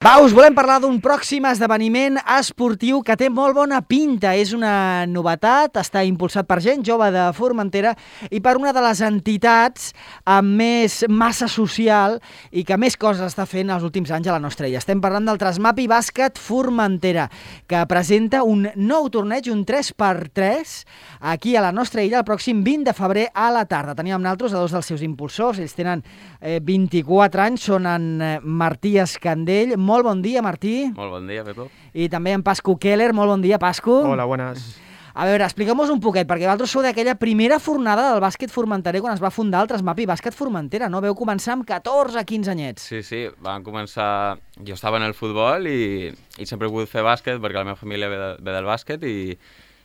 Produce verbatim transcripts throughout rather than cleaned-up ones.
Va, us volem parlar d'un pròxim esdeveniment esportiu que té molt bona pinta. És una novetat, està impulsat per gent jove de Formentera i per una de les entitats amb més massa social i que més coses està fent els últims anys a la nostra illa. Estem parlant del Trasmapi Bàsquet Formentera, que presenta un nou torneig, un tres per tres, aquí a la nostra illa el pròxim vint de febrer a la tarda. Teníem amb nosaltres a dos dels seus impulsors, ells tenen eh, vint-i-quatre anys, són en eh, Martí Escandell. Molt bon dia, Martí. Molt bon dia, Pepo. I també en Pascu Keller. Molt bon dia, Pascu. Hola, buenas. A veure, expliqueu-nos un poquet, perquè vosaltres sou d'aquella primera fornada del bàsquet formenterer quan es va fundar el Trasmapi Bàsquet Formentera, no? Veu començar amb catorze quinze anyets. Sí, sí, vam començar... Jo estava en el futbol i, i sempre he volgut fer bàsquet perquè la meva família ve, de, ve del bàsquet i,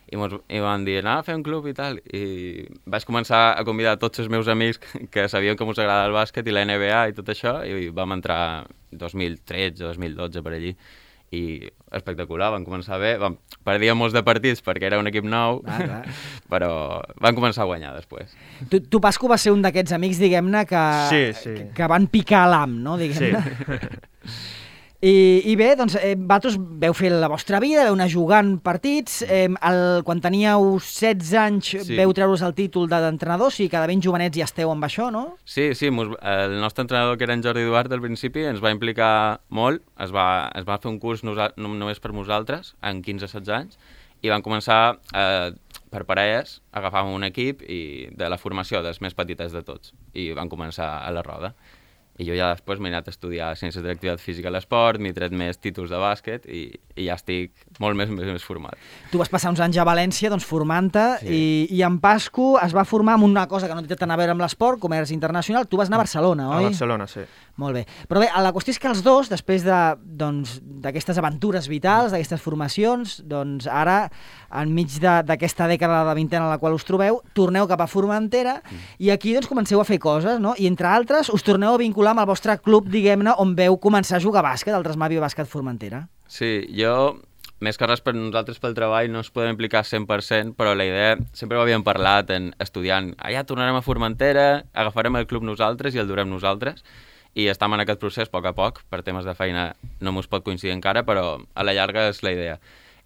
i, mos, i van dir, anem a fer un club i tal. I vaig començar a convidar tots els meus amics que sabien que mos agrada el bàsquet i la N B A i tot això, i vam entrar dos mil tretze, dos mil dotze per allí. I espectacular, van començar bé, vam, perdíem molts de partits perquè era un equip nou, ah, clar. Però van començar a guanyar després. Tu, tu Pascu, vas ser un d'aquests amics, diguem-ne, que, sí, sí. que, que van picar l'am, no? Diguem-ne. Sí. I, I bé, doncs, eh, vosaltres veu fer la vostra vida, veu anar jugant partits, eh, el, quan teníeu setze anys sí. Veu treure's el títol d'entrenador, o sigui, cada ben jovenets ja esteu amb això, no? Sí, sí, mos, el nostre entrenador, que era en Jordi Duarte al principi, ens va implicar molt, es va, es va fer un curs nosa, no, només per nosaltres, en quinze setze anys, i van començar eh, per parelles, agafàvem un equip i de la formació dels més petites de tots, i van començar a la roda. I jo ja després m'he anat a estudiar Ciències de l'Activitat Física i l'Esport, m'he tret més títols de bàsquet i, i ja estic molt més, més, més format. Tu vas passar uns anys a València, doncs, formant-te, sí. i, i en Pascu es va formar amb una cosa que no té tant a veure amb l'esport, comerç internacional. Tu vas anar a Barcelona, oi? A Barcelona, sí. Molt bé. Però bé, la qüestió és que els dos, després de, doncs, d'aquestes aventures vitals, d'aquestes formacions, doncs ara, enmig d'aquesta dècada de vintena en la qual us trobeu, torneu cap a Formentera mm. i aquí doncs comenceu a fer coses, no? I entre altres us torneu a vincular amb el vostre club, diguem-ne, on veu començar a jugar a bàsquet, el Trasmapi Bàsquet Formentera. Sí, jo, més que res per nosaltres pel treball, no ens podem implicar cent per cent, però la idea, sempre ho havíem parlat en estudiant, ah, ja tornarem a Formentera, agafarem el club nosaltres i el durem nosaltres, i estem en aquest procés a poc a poc, per temes de feina no mos pot coincidir encara, però a la llarga és la idea.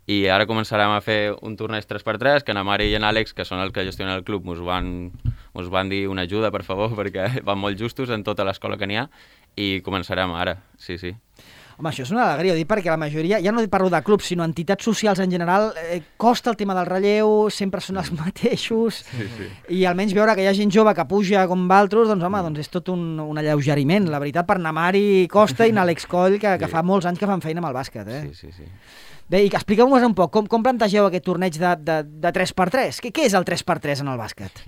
I ara començarem a fer un torneig tres per tres, que en Mari i en Àlex, que són els que gestionen el club, mos van, mos van dir una ajuda, per favor, perquè van molt justos en tota l'escola que n'hi ha, i començarem ara, sí, sí. Home, això és una alegria, ho dic perquè la majoria, ja no parlo de clubs, sinó entitats socials en general, eh, costa el tema del relleu, sempre són els mateixos, sí, sí. I almenys veure que hi ha gent jove que puja com valtros, doncs home, doncs és tot un, un alleugeriment. La veritat, per Namari Costa i Àlex Coll, que, sí. que fa molts anys que fan feina amb el bàsquet, eh? Sí, sí, sí. Bé, i expliqueu-nos un poc, com, com plantegeu aquest torneig de, de, de tres per tres? Què, què és el tres per tres en el bàsquet?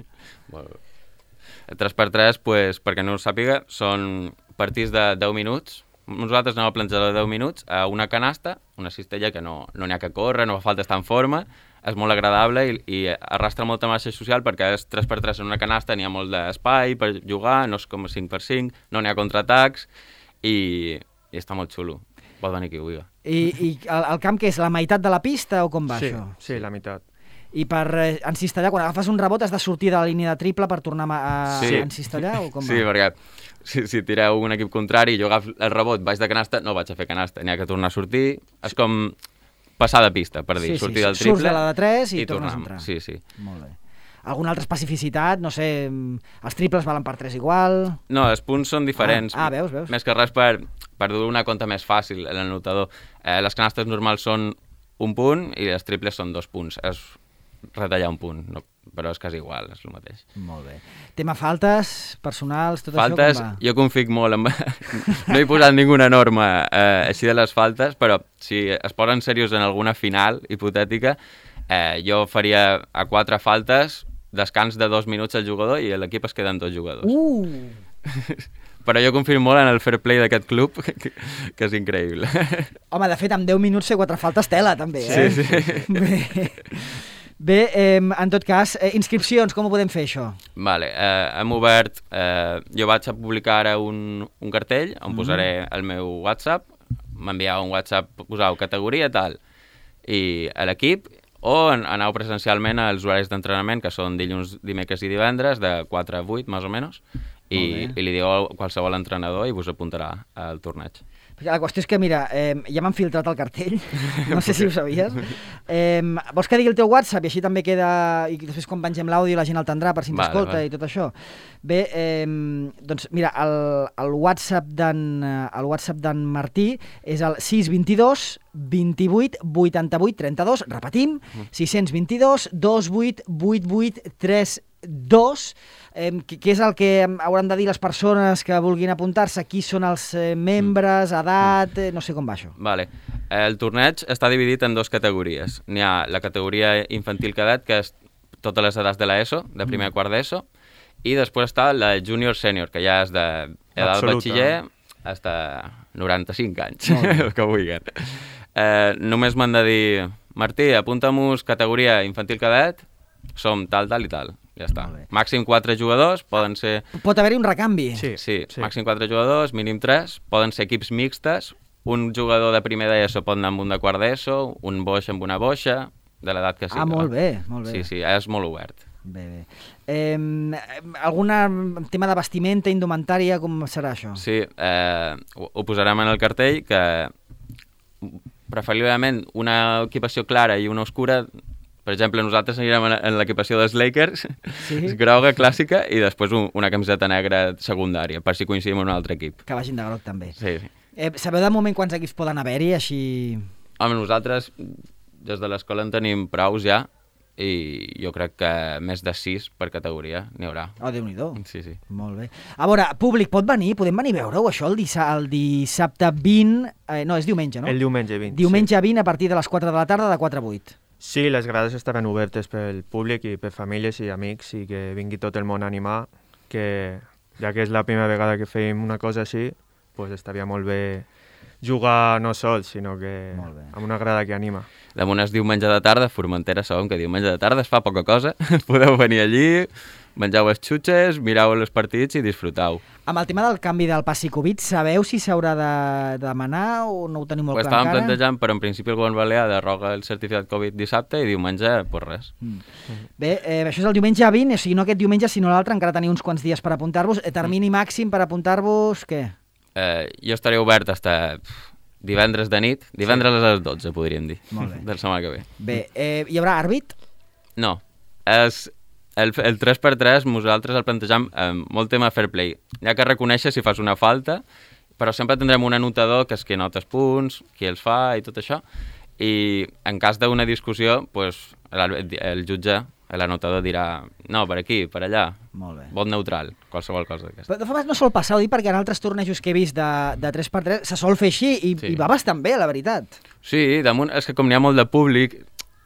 Bueno, el tres per tres, pues, perquè no ho sàpiga, són partits de deu minuts. Nosaltres anem a plantejar de deu minuts a una canasta, una cistella que no n'hi no ha que córrer, no fa falta estar en forma, és molt agradable i, i arrastra molta massa social perquè és tres per tres en una canasta, n'hi ha molt d'espai per jugar, no és com cinc per cinc, no n'hi ha contraatacs i, i està molt xulo. Pot venir qui ho vulgui. I, i el, el camp què és? La meitat de la pista o com va sí, això? Sí, la meitat. I per eh, encistellar, quan agafes un rebot has de sortir de la línia de triple per tornar a, a sí. encistellar o com va? Sí, perquè si, si tireu un equip contrari i jo agafo el rebot baix de canasta, no vaig a fer canasta, n'hi ha que tornar a sortir. És com passar de pista, per dir, sí, sortir sí, del triple. Surts de la de tres i, i tornes tornem. a entrar. Sí, sí. Molt bé. Alguna altra especificitat? No sé, els triples valen per tres igual? No, els punts són diferents. Ah, ah veus, veus. Més que res per, per dur una compta més fàcil en el notador. Eh, les canastes normals són un punt i les triples són dos punts. És retallar un punt, no, però és quasi igual, és el mateix. Molt bé. Tema faltes, personals, tot faltes, això com va? Jo confic molt en... No he posat ninguna norma eh, així de les faltes, però si es posen serios en alguna final hipotètica, eh, jo faria a quatre faltes descans de dos minuts al jugador i l'equip es queda amb dos jugadors. Uh! Però jo confio molt en el fair play d'aquest club, que, que és increïble. Home, de fet, amb deu minuts fer quatre faltes tela, també, eh? Sí, sí. Bé, Bé eh, en tot cas, eh, inscripcions, com ho podem fer, això? Vale, eh, hem obert... Eh, jo vaig a publicar ara un, un cartell on mm. posaré el meu WhatsApp, m'enviava un WhatsApp, posau categoria tal, i a l'equip, o aneu presencialment als horaris d'entrenament, que són dilluns, dimecres i divendres, de quatre a vuit, més o menys, i, i li diu a qualsevol entrenador i vos apuntarà al torneig. La qüestió és que, mira, eh, ja m'han filtrat el cartell, no sé si ho sabies. Eh, vols que digui el teu WhatsApp i així també queda, i després quan pengem l'àudio la gent el tindrà per si ens Vale, escolta vale. i tot això. Bé, eh, doncs mira, el, el WhatsApp d'en el WhatsApp d'en Martí és el sis dos dos, vint-i-vuit, vuitanta-vuit, trenta-dos, repetim, sis dos dos, dos vuit vuit vuit tres dos, eh, què és el que hauran de dir les persones que vulguin apuntar-se? Qui són els eh, membres, edat, eh, no sé com va això. Vale. El torneig està dividit en dues categories. N'hi ha la categoria infantil cadet, que és totes les edats de l'ESO, de primer a quart d'ESO, i després està la junior senior, que ja és d'edat Absoluta. batxiller fins a noranta-cinc anys, el que vulguin. Eh, només m'han de dir, Martí, apunta-mos categoria infantil cadet, som tal, tal i tal. Ja està. Màxim quatre jugadors, poden ser... Pot haver-hi un recanvi. Sí, Sí, sí. màxim quatre jugadors, mínim tres, poden ser equips mixtes, un jugador de primer d'ESO pot anar amb un de quart d'ESO, un boix amb una boixa, de l'edat que sigui. Ah, molt bé, molt bé. Sí, sí, és molt obert. Bé, bé. Eh, algun tema de vestimenta, indumentària, com serà això? Sí, eh, ho, ho posarem en el cartell, que preferiblement una equipació clara i una oscura. Per exemple, nosaltres anirem en, en l'equipació dels Lakers, Sí? groga clàssica, i després un, una camiseta negra secundària, per si coincidim amb un altre equip. Que vagin de groc també. Sí, sí. Eh, sabeu de moment quants equips poden haver-hi, així... Home, nosaltres des de l'escola en tenim praus ja, i jo crec que més de sis per categoria n'hi haurà. Oh, Déu-n'hi-do. Sí, sí. Molt bé. A veure, públic, pot venir? Podem venir a veure-ho, això, el, dissa el dissabte vint... Eh, no, és diumenge, no? El diumenge vint. Diumenge vint a partir de les quatre de la tarda, de quatre a vuit. Sí, les grades estaran obertes pel públic i per famílies i amics i que vingui tot el món a animar, que ja que és la primera vegada que fem una cosa així, pues estaria molt bé jugar no sol, sinó que Molt bé. amb una grada que anima. Damunt és diumenge de tarda, Formentera sabem que diumenge de tarda es fa poca cosa, podeu venir allí, mengeu els xutxes, mireu els partits i disfrutau. Amb el tema del canvi del passi Covid, sabeu si s'haurà de, de demanar o no ho teniu molt Ho clar estàvem encara? plantejant, però en principi el govern balear deroga el certificat Covid dissabte i diumenge, pues res. Mm. Bé, eh, això és el diumenge vint, o sigui, no aquest diumenge, sinó l'altre, encara teniu uns quants dies per apuntar-vos. Eh, termini màxim per apuntar-vos, què? Eh, jo estaré obert fins divendres de nit, divendres a les dotze, podríem dir, Molt bé. de la setmana que ve. Bé, eh, hi haurà àrbit? No, és el, el tres per tres nosaltres el plantejam amb molt tema fair play. Hi ha que reconèixer si fas una falta, però sempre tindrem un anotador que és qui anota els punts, qui els fa i tot això, i en cas d'una discussió, pues, el, el jutge, l'anotador dirà no, per aquí, per allà, Molt bé. vot neutral, qualsevol cosa d'aquesta. Però de forma no sol passar, ho dic perquè en altres tornejos que he vist de, de tres per tres se sol fer així i, Sí. i va bastant bé, la veritat. Sí, damunt és que com n'hi ha molt de públic,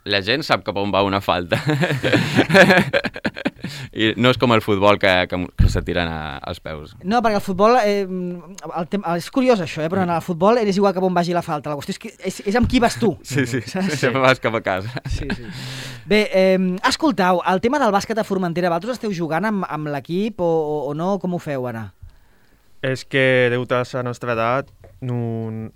la gent sap cap on va una falta. I no és com el futbol que, que, que se tiren a, als peus. No, perquè el futbol, eh, el tem és curiós això, eh, però en el futbol és igual cap on vagi la falta. La qüestió és, que és, és amb qui vas tu. Sí, sí, Saps? sempre vas cap a casa. Sí, sí. Bé, eh, escoltau, el tema del bàsquet a Formentera, vosaltres esteu jugant amb, amb l'equip o, o, o no? Com ho feu ara? És que, degut a la nostra edat, no,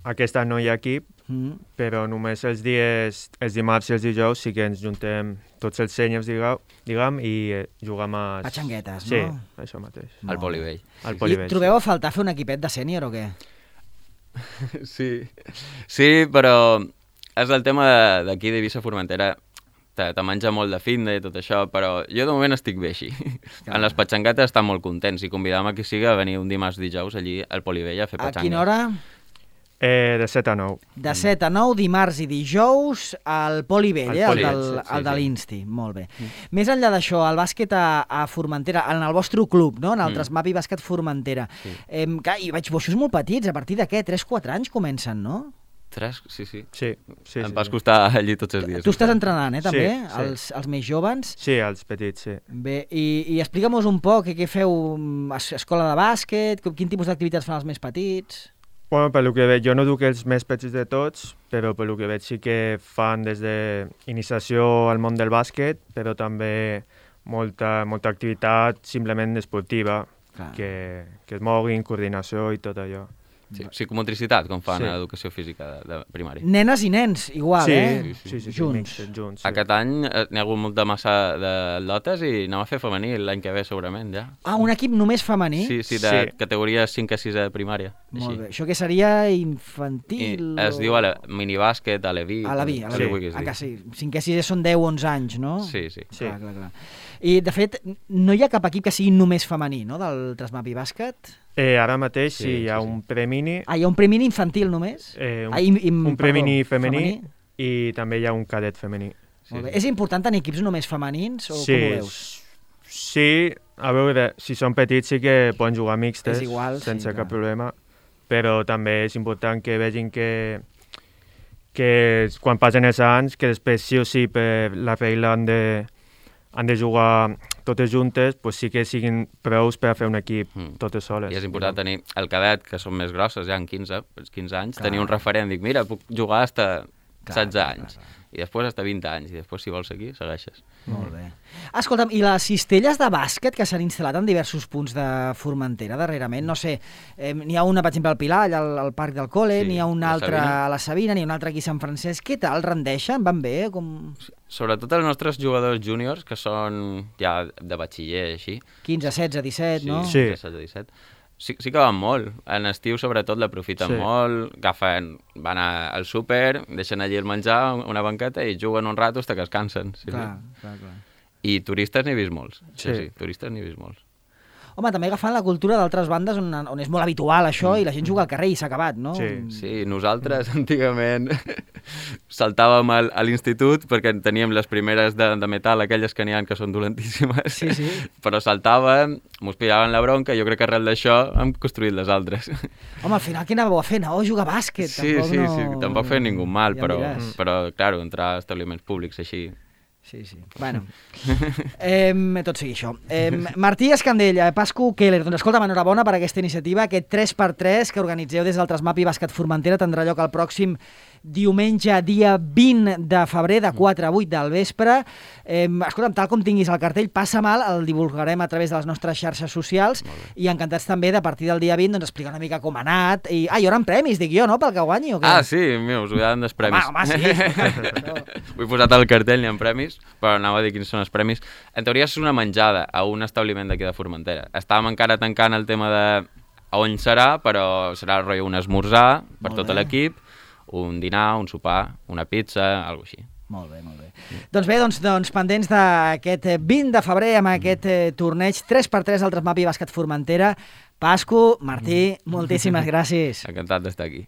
aquest any no hi ha equip, Mm. però només els dies, els dimarts i els dijous sí que ens juntem tots els senyors, diguem, diguem i eh, juguem a... Patxanguetes, sí, no? això mateix. Al polivell. Al I polivell. trobeu a faltar fer un equipet de sènior o què? Sí, sí, però és el tema de- d'aquí d'Eivissa Formentera. Te, te menja molt de fitness i tot això, però jo de moment estic bé així. Clar. En les patxanguetes estan molt contents i convidam a qui siga a venir un dimarts dijous allí al polivell a fer A patxangues. quina hora? Eh, de set a nou. De set a nou, dimarts i dijous, al Polivell, Al eh? Poli, el, del, sí, sí, el de sí. l'Insti. Molt bé. Mm. Més enllà d'això, el bàsquet a, a Formentera, en el vostre club, no? En el Mm. Trasmapi Bàsquet Formentera. Sí. Eh, clar, i vaig boixos molt petits, a partir de què? tres quatre anys comencen, no? Tres? Sí, sí. Sí, sí, Em sí. vas sí. costar allí tots els dies. Tu estàs entrenant, eh, també? Sí, sí. Els, els més joves. Sí, els petits, sí. Bé, i, i explica'm-nos un poc què, què feu, mm, es- escola de bàsquet, quin tipus d'activitats fan els més petits? Bueno, pel que veig, jo no duc els més petits de tots, però pel que veig sí que fan des d'iniciació al món del bàsquet, però també molta, molta activitat simplement esportiva, Clar. que, que es moguin, coordinació i tot allò. Sí, psicomotricitat, com fan Sí. a l'educació física de, de primària. Nenes i nens, igual, sí, eh? sí, sí, sí, Junts. mixtes, junts. Sí. Aquest any eh, n'hi ha hagut molta massa de lotes i anem a fer femení l'any que ve segurament, ja. Ah, un equip només femení? Sí, sí, de Sí. categoria cinc a sis de primària. Molt així. bé. Això que seria I infantil? es diu a la, minibàsquet, a l'E V I. A la vi, a la com vi. li vulguis Ah, dir. que sí. cinquè, sisè són deu onze anys, no? Sí, sí. Sí. Clar, clar, clar. I, de fet, no hi ha cap equip que sigui només femení, no?, del Trasmapi Bàsquet? Eh, ara mateix sí, Sí, hi ha sí, sí. un premini, Ah, hi ha un premini infantil només? eh, un, Ah, im- im- un perdó, premini femení, femení? i també hi ha un cadet femení. Sí, Molt bé. sí. És important tenir equips només femenins o sí, com ho veus? sí, a veure, si són petits sí que poden jugar mixtes És igual, sí, sense clar. cap problema, però també és important que vegin que, que quan passen els anys, que després sí o sí per la regla han de, han de jugar totes juntes, pues sí que siguin prous per a fer un equip Mm. totes soles. I és important tenir el cadet, que són més grosses, ja en quinze, els quinze anys, Clar. tenir un referent. Dic, mira, puc jugar hasta Clar, setze clar, anys. clar, clar. I després hasta vint anys. I després, si vols seguir, segueixes. Molt bé. Escolta'm, i les cistelles de bàsquet que s'han instal·lat en diversos punts de Formentera darrerament, no sé, eh, n'hi ha una, per exemple, al Pilar, allà al, al Parc del Col·le, Sí, n'hi ha una la altra Sabina. a la Sabina, n'hi ha una altra aquí a Sant Francesc. Què tal? Rendeixen? Van bé? Com... Sobretot els nostres jugadors júniors, que són ja de batxiller, així. quinze, setze, disset, no? Sí. setze, disset. Sí, sí que van molt. En estiu, sobretot, l'aprofiten Sí. molt, agafen, van a, al súper, deixen allí el menjar, una banqueta, i juguen un rato fins que es cansen. Sí, Clar, sí. clar, clar. I turistes n'he vist molts. Sí, Sí. sí, turistes n'he vist molts. Home, també agafant la cultura d'altres bandes on, on és molt habitual això i la gent juga al carrer i s'ha acabat, no? Sí. Sí, nosaltres antigament saltàvem al, a l'institut perquè teníem les primeres de, de metal, aquelles que n'hi ha que són dolentíssimes, Sí, sí. però saltàvem, mos pillaven la bronca i jo crec que arrel d'això hem construït les altres. Home, al final què anàveu a fer? Anàveu a jugar a bàsquet? Sí, tampoc sí, no... sí, tampoc feien ningú mal, Ja em però, diràs. però, clar, entrar a establiments públics així... Sí, sí. Bueno, eh, tot sigui això. Eh, Martí Escandella, Pascu Keller, doncs escolta'm, enhorabona per aquesta iniciativa. Aquest tres per tres que organitzeu des del Trasmapi Bàsquet Formentera tindrà lloc el pròxim diumenge, dia vint de febrer, de quatre a vuit del vespre. Eh, escolta'm, tal com tinguis el cartell, passa mal, el divulgarem a través de les nostres xarxes socials i encantats també de a partir del dia vint doncs, explicar una mica com ha anat. I, ah, hi haurà premis, dic jo, no?, pel que guanyi, o què? Ah, sí, mira, us ho han dels premis. Home, home, sí. No. Ho he posat al cartell, n'hi ha premis, però anava a dir quins són els premis. En teoria és una menjada a un establiment d'aquí de Formentera. Estàvem encara tancant el tema de a on serà, però serà el rotllo un esmorzar per Molt tot bé. l'equip, un dinar, un sopar, una pizza, alguna així. Molt bé, molt bé. Doncs bé, doncs, doncs pendents d'aquest vint de febrer amb aquest eh, torneig tres per tres al Trasmapi Bàsquet Formentera. Pascu, Martí, moltíssimes gràcies. Encantat d'estar aquí.